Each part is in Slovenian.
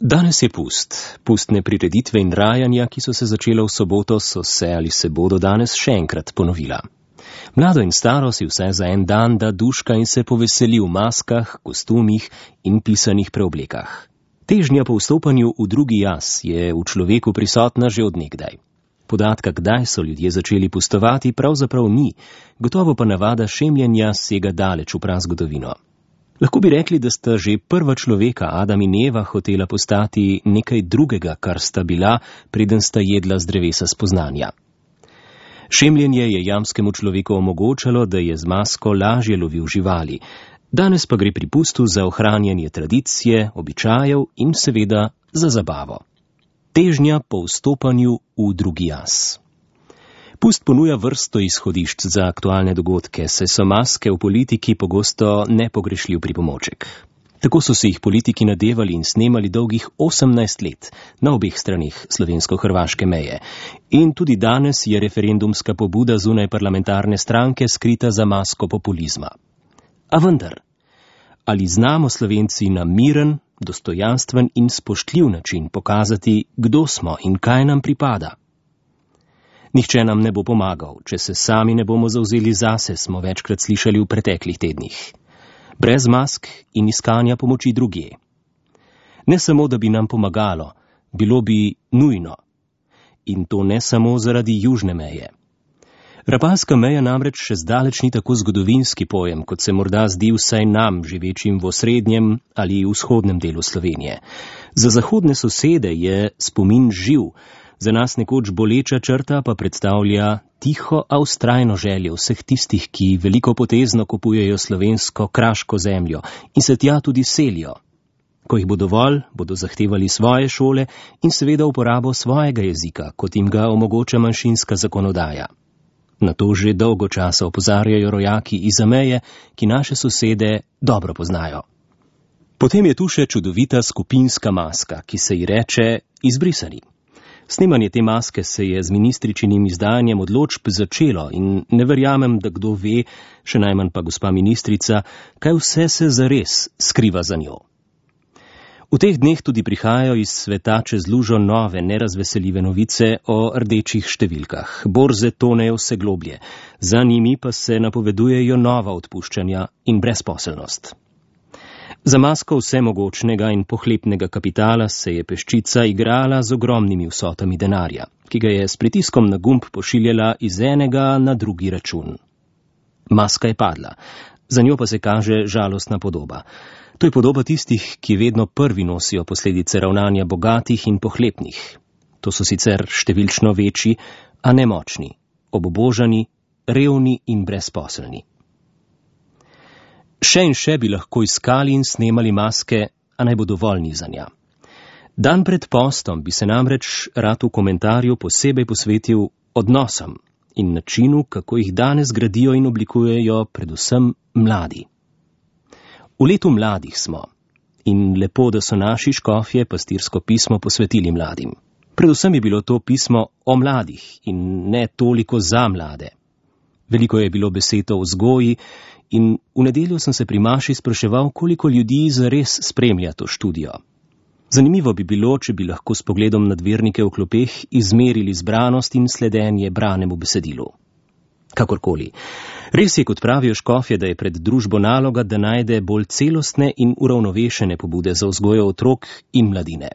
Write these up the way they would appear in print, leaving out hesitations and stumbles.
Danes je pustne prireditve in rajanja, ki so se začela v soboto, so se ali se bodo danes še enkrat ponovila. Mlado in staro si vse za en dan da duška in se poveseli v maskah, kostumih in pisanih preoblekah. Težnja po vstopanju v drugi jaz je v človeku prisotna že od nekdaj. Podatka, kdaj so ljudje začeli pustovati, pravzaprav ni, gotovo pa navada šemljenja sega daleč v prazgodovino. Lahko bi rekli, da sta že prva človeka, Adam in Eva, hotela postati nekaj drugega, kar sta bila, preden sta jedla z drevesa spoznanja. Šemljenje je jamskemu človeku omogočalo, da je z masko lažje lovil živali. Danes pa gre pri pustu za ohranjanje tradicije, običajev in seveda za zabavo. Težnja po vstopanju v drugi jaz. Pust ponuja vrsto izhodišč za aktualne dogodke, saj so maske v politiki pogosto nepogrešljiv pripomoček. Tako so se jih politiki nadevali in snemali dolgih 18 let na obeh straneh slovensko-hrvaške meje. In tudi danes je referendumska pobuda zunaj parlamentarne stranke skrita za masko populizma. A vendar, ali znamo Slovenci na miren, dostojanstven in spoštljiv način pokazati, kdo smo in kaj nam pripada? Nihče nam ne bo pomagal, če se sami ne bomo zavzeli zase, smo večkrat slišali v preteklih tednih. Brez mask in iskanja pomoči drugje. Ne samo, da bi nam pomagalo, bilo bi nujno. In to ne samo zaradi južne meje. Rapalska meja namreč še zdaleč ni tako zgodovinski pojem, kot se morda zdi vsaj nam, živečim v osrednjem ali vzhodnem delu Slovenije. Za zahodne sosede je spomin živ, za nas nekoč boleča črta pa predstavlja tiho, a vztrajno željo vseh tistih, ki veliko potezno kupujejo slovensko kraško zemljo in se tja tudi selijo. Ko jih bo dovolj, bodo zahtevali svoje šole in seveda uporabo svojega jezika, kot jim ga omogoča manjšinska zakonodaja. Na to že dolgo časa opozarjajo rojaki izza meje, ki naše sosede dobro poznajo. Potem je tu še čudovita skupinska maska, ki se ji reče izbrisani. Snemanje te maske se je z ministričinim izdajanjem odločb začelo in ne verjamem, da kdo ve, še najmanj pa gospa ministrica, kaj vse se zares skriva za njo. V teh dneh tudi prihajajo iz sveta čez lužo nove, nerazveseljive novice o rdečih številkah. Borze tonejo vse globlje, za njimi pa se napovedujejo nova odpuščanja in brezposelnost. Za masko vsemogočnega in pohlepnega kapitala se je peščica igrala z ogromnimi vsotami denarja, ki ga je s pritiskom na gumb pošiljala iz enega na drugi račun. Maska je padla, za njo pa se kaže žalostna podoba. To je podoba tistih, ki vedno prvi nosijo posledice ravnanja bogatih in pohlepnih. To so sicer številčno večji, a nemočni, obubožani, revni in brezposelni. Še in še bi lahko iskali in snemali maske, a naj bo dovolj nizanja. Dan pred postom bi se namreč rad v komentarju posebej posvetil odnosom in načinu, kako jih danes gradijo in oblikujejo predvsem mladi. V letu mladih smo in lepo, da so naši škofje pastirsko pismo posvetili mladim. Predvsem je bilo to pismo o mladih in ne toliko za mlade. Veliko je bilo besed o vzgoji in v nedeljo sem se pri maši spraševal, koliko ljudi zares spremlja to študijo. Zanimivo bi bilo, če bi lahko s pogledom na vernike v klopeh izmerili zbranost in sledenje branemu besedilu. Kakorkoli. Res je, kot pravijo škofje, da je pred družbo naloga, da najde bolj celostne in uravnovešene pobude za vzgojo otrok in mladine.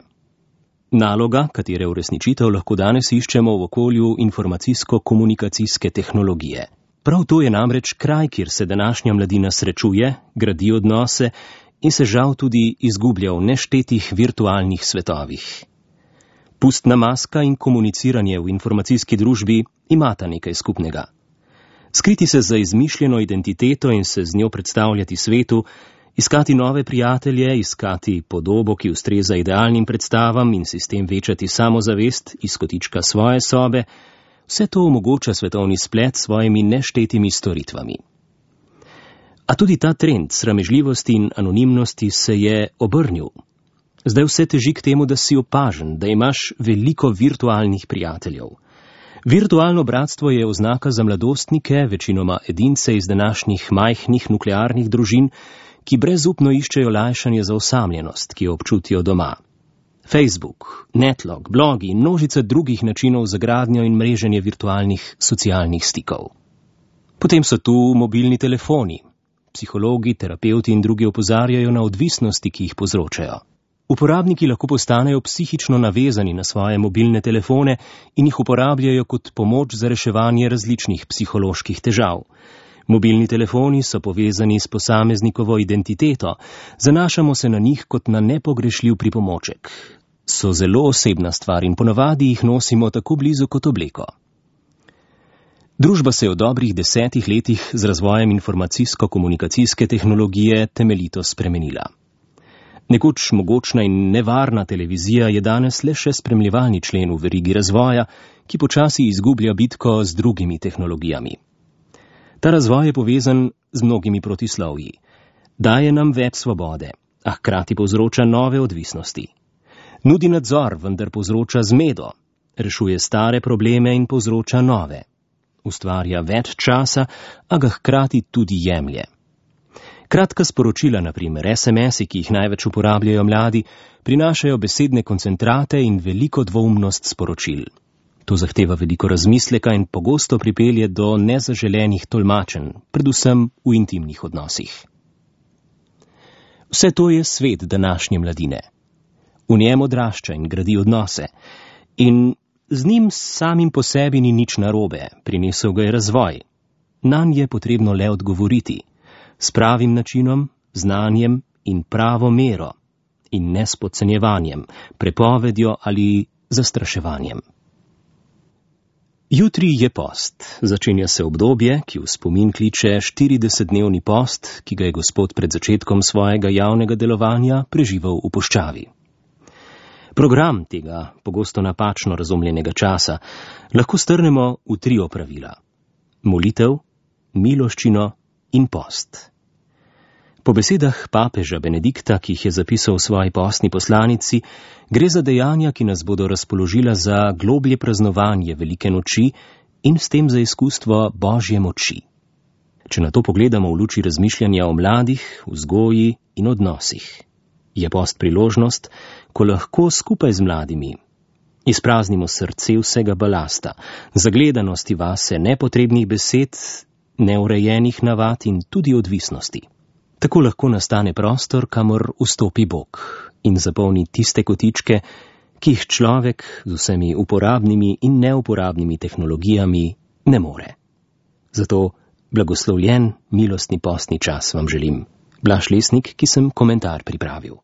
Naloga, katere uresničitev lahko danes iščemo v okolju informacijsko-komunikacijske tehnologije. Prav to je namreč kraj, kjer se današnja mladina srečuje, gradi odnose in se žal tudi izgublja v neštetih virtualnih svetovih. Pustna maska in komuniciranje v informacijski družbi imata nekaj skupnega. Skriti se za izmišljeno identiteto in se z njo predstavljati svetu, iskati nove prijatelje, iskati podobo, ki ustreza idealnim predstavam in si s tem večati samozavest iz kotička svoje sobe, vse to omogoča svetovni splet s svojimi neštetimi storitvami. A tudi ta trend sramežljivosti in anonimnosti se je obrnil. Zdaj vse teži k temu, da si opažen, da imaš veliko virtualnih prijateljev. Virtualno bratstvo je oznaka za mladostnike, večinoma edince iz današnjih majhnih nuklearnih družin, ki brezupno iščejo lajšanje za osamljenost, ki jo občutijo doma. Facebook, Netlog, blogi in množica drugih načinov za gradnjo in mreženje virtualnih socialnih stikov. Potem so tu mobilni telefoni. Psihologi, terapevti in drugi opozarjajo na odvisnosti, ki jih povzročajo. Uporabniki lahko postanejo psihično navezani na svoje mobilne telefone in jih uporabljajo kot pomoč za reševanje različnih psiholoških težav. Mobilni telefoni so povezani s posameznikovo identiteto, zanašamo se na njih kot na nepogrešljiv pripomoček. So zelo osebna stvar in ponavadi jih nosimo tako blizu kot obleko. Družba se je v dobrih 10 letih z razvojem informacijsko-komunikacijske tehnologije temeljito spremenila. Nekoč mogočna in nevarna televizija je danes le še spremljevalni člen v verigi razvoja, ki počasi izgublja bitko z drugimi tehnologijami. Ta razvoj je povezan z mnogimi protislovji. Daje nam več svobode, a hkrati povzroča nove odvisnosti. Nudi nadzor, vendar povzroča zmedo, rešuje stare probleme in povzroča nove. Ustvarja več časa, a ga hkrati tudi jemlje. Kratka sporočila, na primer SMS-i, ki jih največ uporabljajo mladi, prinašajo besedne koncentrate in veliko dvoumnost sporočil. To zahteva veliko razmisleka in pogosto pripelje do nezaželenih tolmačenj, predvsem v intimnih odnosih. Vse to je svet današnje mladine. V njem odrašča in gradi odnose. In z njim samim po sebi ni nič narobe, prinesel ga je razvoj. Nanj je potrebno le odgovoriti. S pravim načinom, znanjem in pravo mero. In ne s podcenjevanjem, prepovedjo ali zastraševanjem. Jutri je post. Začenja se obdobje, ki v spomin kliče 40-dnevni post, ki ga je Gospod pred začetkom svojega javnega delovanja preživel v puščavi. Program tega pogosto napačno razumljenega časa lahko strnemo v 3 opravila. Molitev, miloščino in post. Po besedah papeža Benedikta, ki jih je zapisal v svoji postni poslanici, gre za dejanja, ki nas bodo razpoložila za globlje praznovanje velike noči in s tem za izkustvo Božje moči. Če na to pogledamo v luči razmišljanja o mladih, vzgoji in odnosih, je post priložnost, ko lahko skupaj z mladimi izpraznimo srce vsega balasta, zagledanosti vase, nepotrebnih besed, neurejenih navad in tudi odvisnosti. Tako lahko nastane prostor, kamor vstopi Bog in zapolni tiste kotičke, ki jih človek z vsemi uporabnimi in neuporabnimi tehnologijami ne more. Zato blagoslovljen milostni postni čas vam želim. Blaž Lesnik, ki sem komentar pripravil.